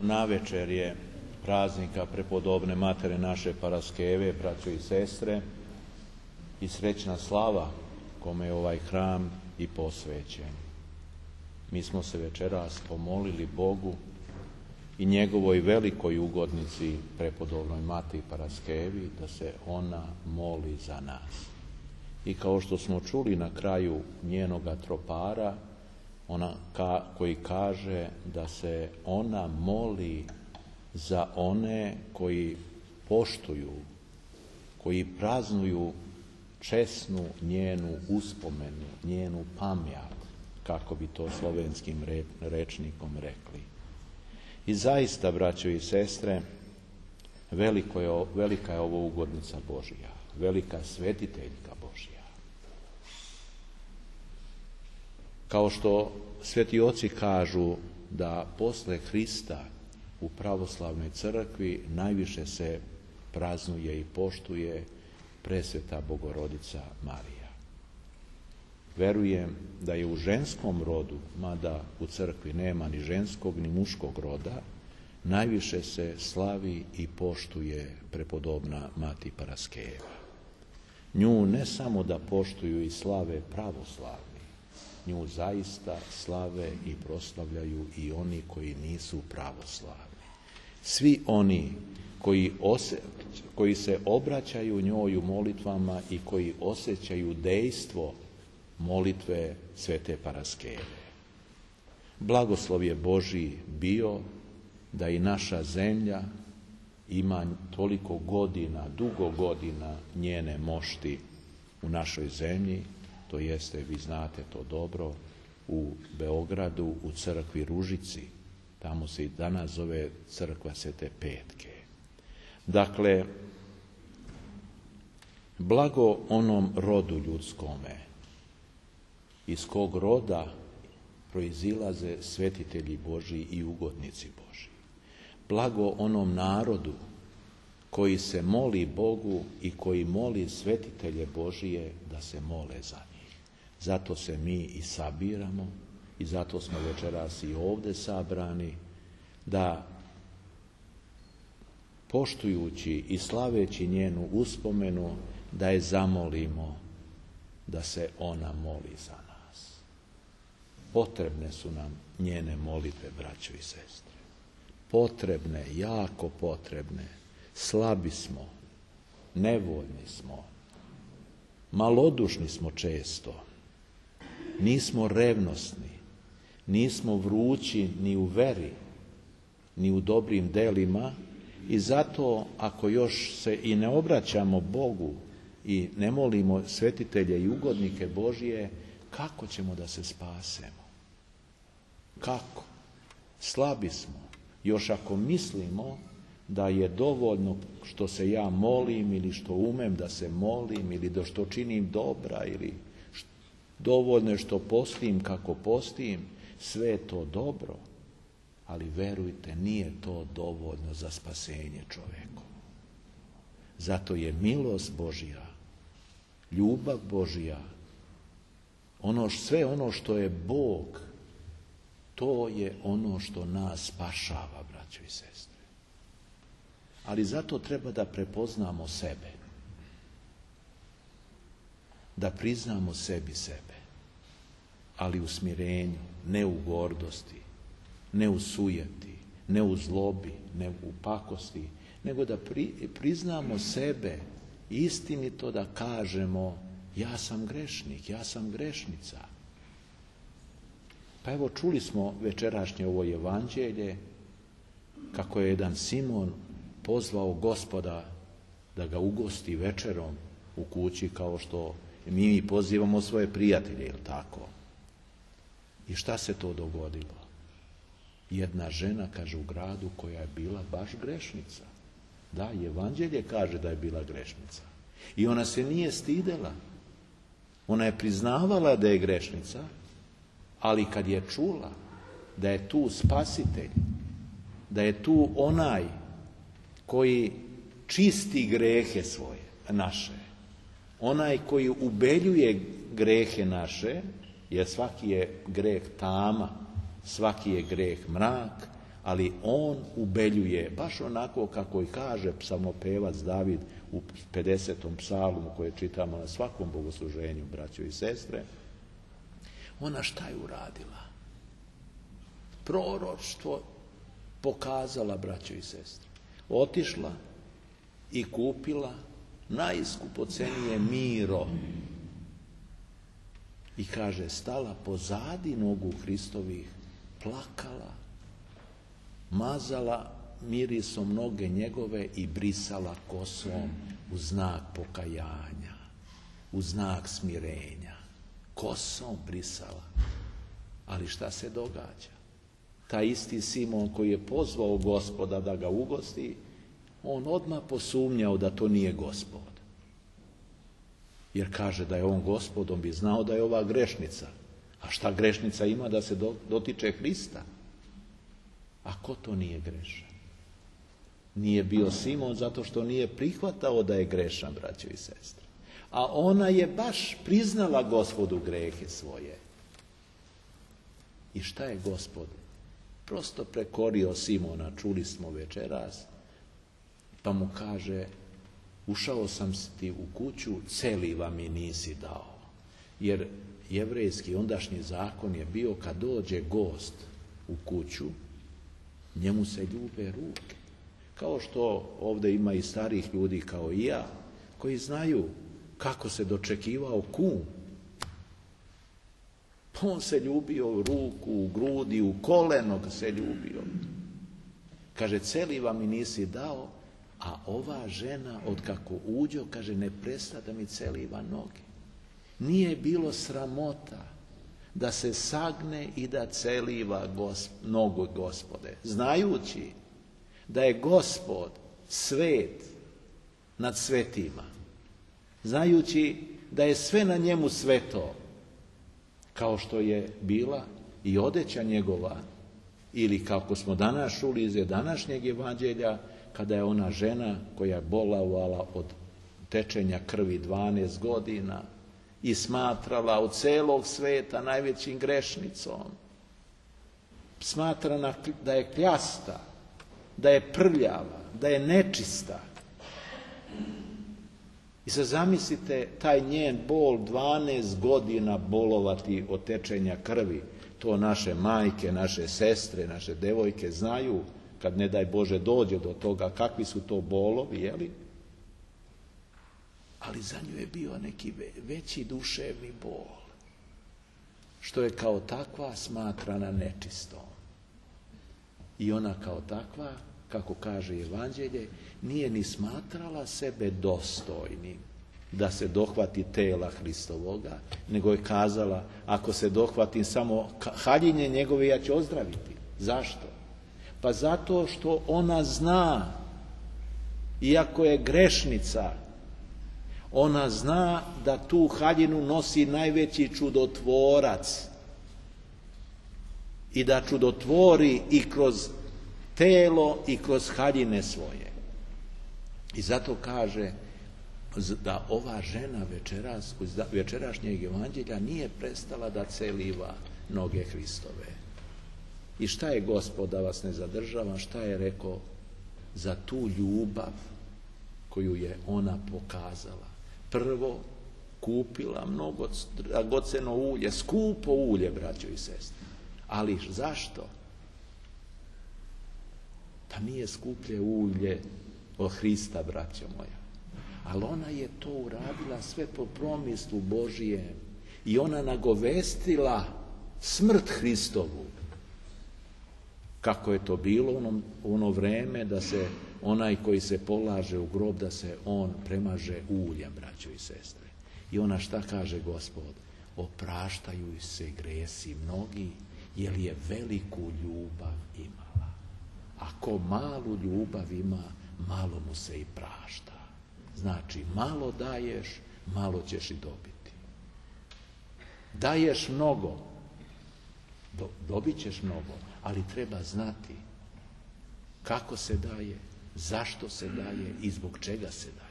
Navečer je praznika prepodobne matere naše Paraskeve, braćo i sestre, i srećna slava kome je ovaj hram i posvećen. Mi smo se večeras pomolili Bogu i njegovoj velikoj ugodnici prepodobnoj Mati Paraskevi da se ona moli za nas. I kao što smo čuli na kraju njenoga tropara, koji kaže da se ona moli za one koji poštuju, koji praznuju česnu njenu uspomenu, njenu pamjat, kako bi to slovenskim rečnikom rekli. I zaista, braćo i sestre, velika je ovo ugodnica Božja, velika svetiteljka Božja. Kao što sveti oci kažu da posle Hrista u pravoslavnoj crkvi najviše se praznuje i poštuje presveta Bogorodica Marija. Verujem da je u ženskom rodu, mada u crkvi nema ni ženskog ni muškog roda, najviše se slavi i poštuje prepodobna Mati Paraskeva. Nju ne samo da poštuju i slave pravoslavni, nju zaista slave i proslavljaju i oni koji nisu pravoslavni. Svi oni koji se obraćaju njoj u molitvama i koji osjećaju dejstvo molitve svete Paraskeve. Blagoslov je Božji bio da i naša zemlja ima toliko godina, dugo godina njene mošti u našoj zemlji. To jeste, vi znate to dobro, u Beogradu, u crkvi Ružici. Tamo se i danas zove crkva Svete Petke. Dakle, blago onom rodu ljudskome, iz kog roda proizilaze svetitelji Božji i ugodnici Božji. Blago onom narodu koji se moli Bogu i koji moli svetitelje Božije da se mole za njih. Zato se mi i sabiramo i zato smo večeras i ovdje sabrani, da poštujući i slaveći njenu uspomenu, da je zamolimo da se ona moli za nas. Potrebne su nam njene molitve, braćo i sestre. Potrebne, jako potrebne. Slabi smo, nevoljni smo, malodušni smo često, nismo revnosni, nismo vrući ni u veri, ni u dobrim delima i zato ako još se i ne obraćamo Bogu i ne molimo svetitelje i ugodnike Božije, kako ćemo da se spasemo? Kako? Slabi smo. Još ako mislimo da je dovoljno što se ja molim ili što umem da se molim ili da što činim dobra ili dovoljno je što postim kako postim, sve je to dobro, ali verujte, nije to dovoljno za spasenje čoveku. Zato je milost Božja, ljubav Božja, sve ono što je Bog, to je ono što nas spašava, braćo i sestre. Ali zato treba da prepoznamo sebe, da priznamo sebi sebe, ali u smirenju, ne u gordosti, ne u sujeti, ne u zlobi, ne u pakosti, nego da priznamo sebe, istinito da kažemo ja sam grešnik, ja sam grešnica. Pa evo čuli smo večerašnje ovo evanđelje kako je jedan Simon pozvao Gospoda da ga ugosti večerom u kući kao što mi pozivamo svoje prijatelje, jel tako? I šta se to dogodilo? Jedna žena, kaže, u gradu koja je bila baš grešnica. Da, evanđelje kaže da je bila grešnica. I ona se nije stidela. Ona je priznavala da je grešnica, ali kad je čula da je tu spasitelj, da je tu onaj koji čisti grehe svoje, naše, onaj koji ubeljuje grehe naše, jer svaki je greh tama, svaki je greh mrak, ali on ubeljuje, baš onako kako i kaže psalmopevac David u 50. psalmu koje čitamo na svakom bogosluženju, braćo i sestre. Ona šta je uradila? Proroštvo pokazala, braćo i sestre. Otišla i kupila najskupocenije miro. I kaže, stala pozadi nogu Hristovih, plakala, mazala mirisom noge njegove i brisala kosom u znak pokajanja, u znak smirenja. Kosom brisala. Ali šta se događa? Taj isti Simon koji je pozvao Gospoda da ga ugosti, on odmah posumnjao da to nije Gospod. Jer kaže da je on Gospod, on bi znao da je ova grešnica. A šta grešnica ima da se dotiče Hrista? A ko to nije grešan? Nije bio Simon zato što nije prihvatao da je grešan, braćo i sestre. A ona je baš priznala Gospodu grehe svoje. I šta je Gospod? Prosto prekorio Simona, čuli smo večeras, pa mu kaže, ušao sam ti u kuću, celiva mi nisi dao. Jer jevrejski ondašnji zakon je bio kad dođe gost u kuću, njemu se ljube ruke. Kao što ovdje ima i starih ljudi kao i ja, koji znaju kako se dočekivao kum. Pa on se ljubio u ruku, u grudi, u koleno se ljubio. Kaže, celiva mi nisi dao, a ova žena od kako uđo, kaže, ne presta da mi celiva noge. Nije bilo sramota da se sagne i da celiva nogu Gospode, znajući da je Gospod svet nad svetima, znajući da je sve na njemu sveto, kao što je bila i odeća njegova, ili kako smo danas čuli iz današnjeg evanđelja, kada je ona žena koja je bolovala od tečenja krvi 12 godina i smatrala od celog sveta najvećim grešnicom, smatrana da je kljasta, da je prljava, da je nečista. I sad zamislite taj njen bol, 12 godina bolovati od tečenja krvi. To naše majke, naše sestre, naše devojke znaju, kad ne daj Bože dođe do toga, kakvi su to bolovi, jeli? Ali za nju je bio neki veći duševni bol, što je kao takva smatrana nečistom. I ona kao takva, kako kaže evanđelje, nije ni smatrala sebe dostojnim da se dohvati tela Hristovoga, nego je kazala, ako se dohvatim samo haljinje njegove, ja ću ozdraviti. Zašto? Pa zato što ona zna, iako je grešnica, ona zna da tu haljinu nosi najveći čudotvorac i da čudotvori i kroz telo i kroz haljine svoje. I zato kaže da ova žena večeras, večerašnjeg evanđelja nije prestala da celiva noge Hristove. I šta je Gospod, da vas ne zadržavam, šta je rekao za tu ljubav koju je ona pokazala? Prvo, kupila mnogo dragoceno ulje, skupo ulje, braćo i sestre. Ali zašto? Pa nije skuplje ulje od Hrista, braćo moja. Ali ona je to uradila sve po promislu Božijem. I ona nagovestila smrt Hristovu. Kako je to bilo u ono vreme da se onaj koji se polaže u grob, da se on premaže uljem, braćo i sestre. I ona šta kaže Gospod? Opraštaju se gresi mnogi, jer je veliku ljubav imala. Ako malu ljubav ima, malo mu se i prašta. Znači, malo daješ, malo ćeš i dobiti. Daješ mnogo, dobit ćeš mnogo, ali treba znati kako se daje, zašto se daje i zbog čega se daje.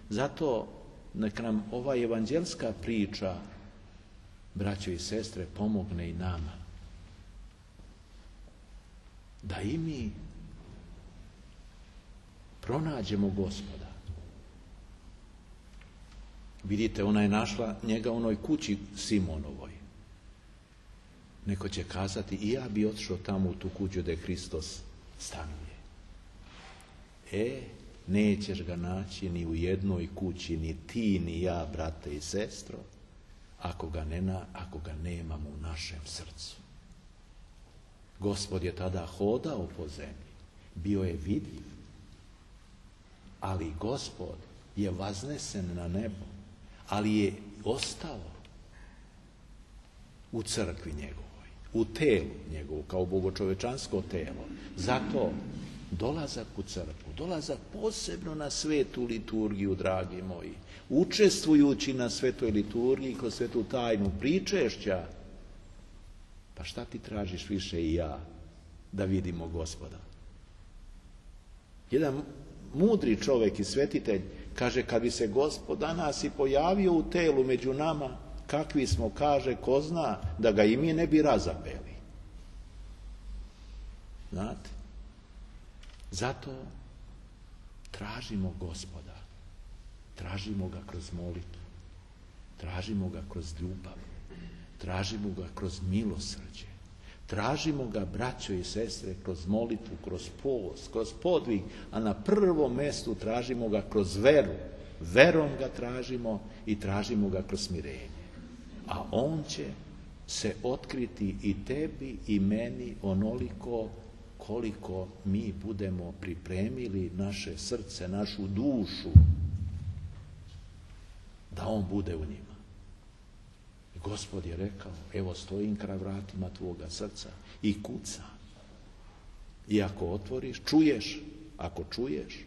Zato nek nam ova evanđelska priča, braćo i sestre, pomogne i nama. da i mi pronađemo Gospoda. Vidite, ona je našla njega u onoj kući Simonovoj. Neko će kazati, i ja bi otišao tamo u tu kuću da je Hristos stanuje. Nećeš ga naći ni u jednoj kući, ni ti, ni ja, brate i sestro, ako ga nemamo u našem srcu. Gospod je tada hodao po zemlji, bio je vidljiv, ali Gospod je vaznesen na nebo, ali je ostao u crkvi njegovoj, u telu njegovu, kao bogočovečansko telo. Zato dolazak u crkvu, dolazak posebno na svetu liturgiju, dragi moji, učestvujući na svetoj liturgiji kroz svetu tajnu pričešća, pa šta ti tražiš više i ja da vidimo Gospoda? Jedan mudri čovjek i svetitelj kaže, kad bi se Gospod danas i pojavio u telu među nama, kakvi smo, kaže, ko zna, da ga i mi ne bi razapeli. Znate? Zato tražimo Gospoda. Tražimo ga kroz molitvu. Tražimo ga kroz ljubav. Tražimo ga kroz milosrđe. Tražimo ga, braćo i sestre, kroz molitvu, kroz post, kroz podvig, a na prvom mjestu tražimo ga kroz veru. Verom ga tražimo i tražimo ga kroz smirenje. A on će se otkriti i tebi i meni onoliko koliko mi budemo pripremili naše srce, našu dušu, da on bude u njima. Gospod je rekao, evo stojim kraj vratima tvoga srca i kucam. I ako otvoriš, čuješ, ako čuješ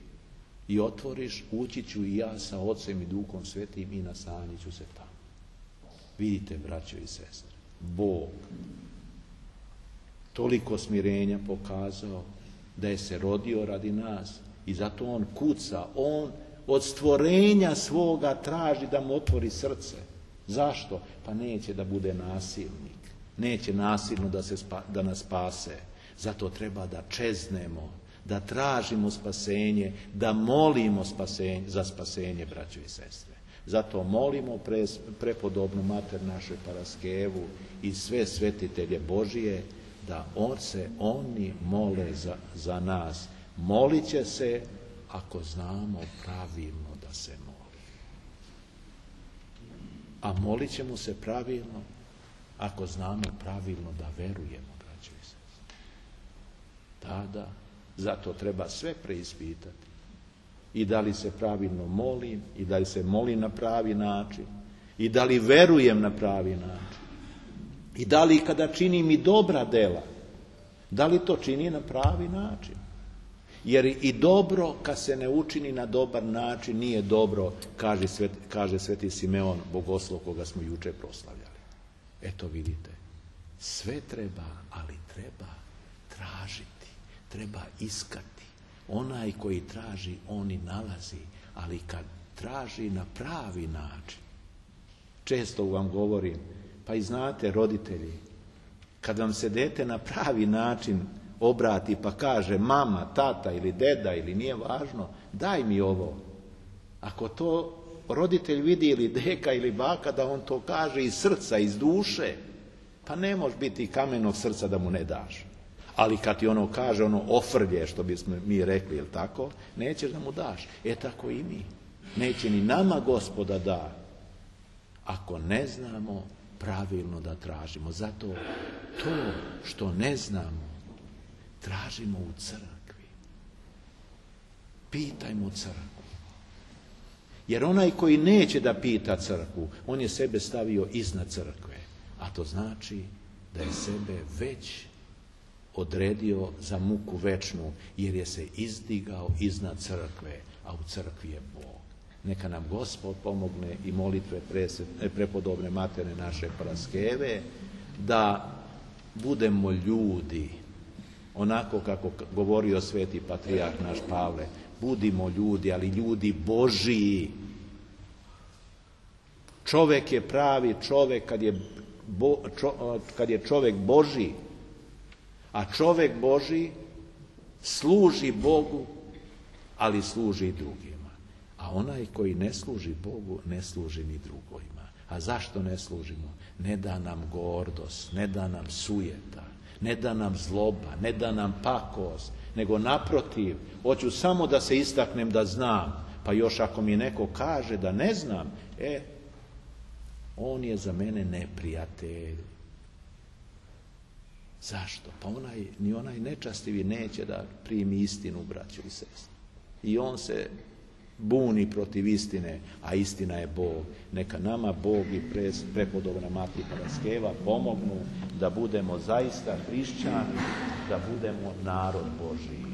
i otvoriš, ući ću i ja sa Ocem i Duhom Svetim i nastanit ću se tamo. Vidite, braćo i sestre, Bog toliko smirenja pokazao da je se rodio radi nas i zato on kuca, on od stvorenja svoga traži da mu otvori srce. Zašto? Pa neće da bude nasilnik. Neće nasilno da nas spase. Zato treba da čeznemo, da tražimo spasenje, da molimo za spasenje, braćo i sestre. Zato molimo prepodobnu mater našu Paraskevu i sve svetitelje Božije da oni mole za nas. Molit će se ako znamo pravilno da se moli. A molit ćemo se pravilno ako znamo pravilno da verujemo, braćo i sestre. Tada, zato treba sve preispitati. I da li se pravilno molim, i da li se molim na pravi način, i da li verujem na pravi način, i da li kada činim i dobra dela, da li to čini na pravi način. Jer i dobro kad se ne učini na dobar način nije dobro, kaže sveti Simeon, bogoslov koga smo juče proslavljali. Eto vidite, sve treba, ali treba tražiti, treba iskati. Onaj koji traži, on i nalazi, ali kad traži na pravi način. Često vam govorim, pa i znate, roditelji, kad vam se dete na pravi način obrati pa kaže mama, tata ili deda ili nije važno, daj mi ovo. Ako to roditelj vidi ili deka ili baka da on to kaže iz srca, iz duše, pa ne može biti kamenog srca da mu ne daš. Ali kad ti ono kaže, ono ofrlje, što bismo mi rekli, jel tako, nećeš da mu daš. Tako i mi. Neće ni nama Gospoda da, ako ne znamo pravilno da tražimo. Zato to što ne znamo, tražimo u crkvi. Pitajmo crkvu. Jer onaj koji neće da pita crkvu, on je sebe stavio iznad crkve. A to znači da je sebe već odredio za muku večnu, jer je se izdigao iznad crkve, a u crkvi je Bog. Neka nam Gospod pomogne i molitve prepodobne matere naše Paraskeve, da budemo ljudi, onako kako govorio sveti patrijarh naš Pavle, budimo ljudi, ali ljudi Božiji. Čovjek je pravi čovjek kad je čovjek Božji, a čovjek Božji služi Bogu, ali služi i drugima. A onaj koji ne služi Bogu, ne služi ni drugima. A zašto ne služimo? Ne da nam gordost, ne da nam sujeta, ne da nam zloba, ne da nam pakost, nego naprotiv, hoću samo da se istaknem da znam, pa još ako mi neko kaže da ne znam, on je za mene neprijatelj. Zašto? Pa ni onaj nečastivi neće da primi istinu, braćo i sestre. I on se buni protiv istine, a istina je Bog. Neka nama Bog i prepodobna Mati Paraskeva pomognu da budemo zaista hrišćani, da budemo narod Božiji.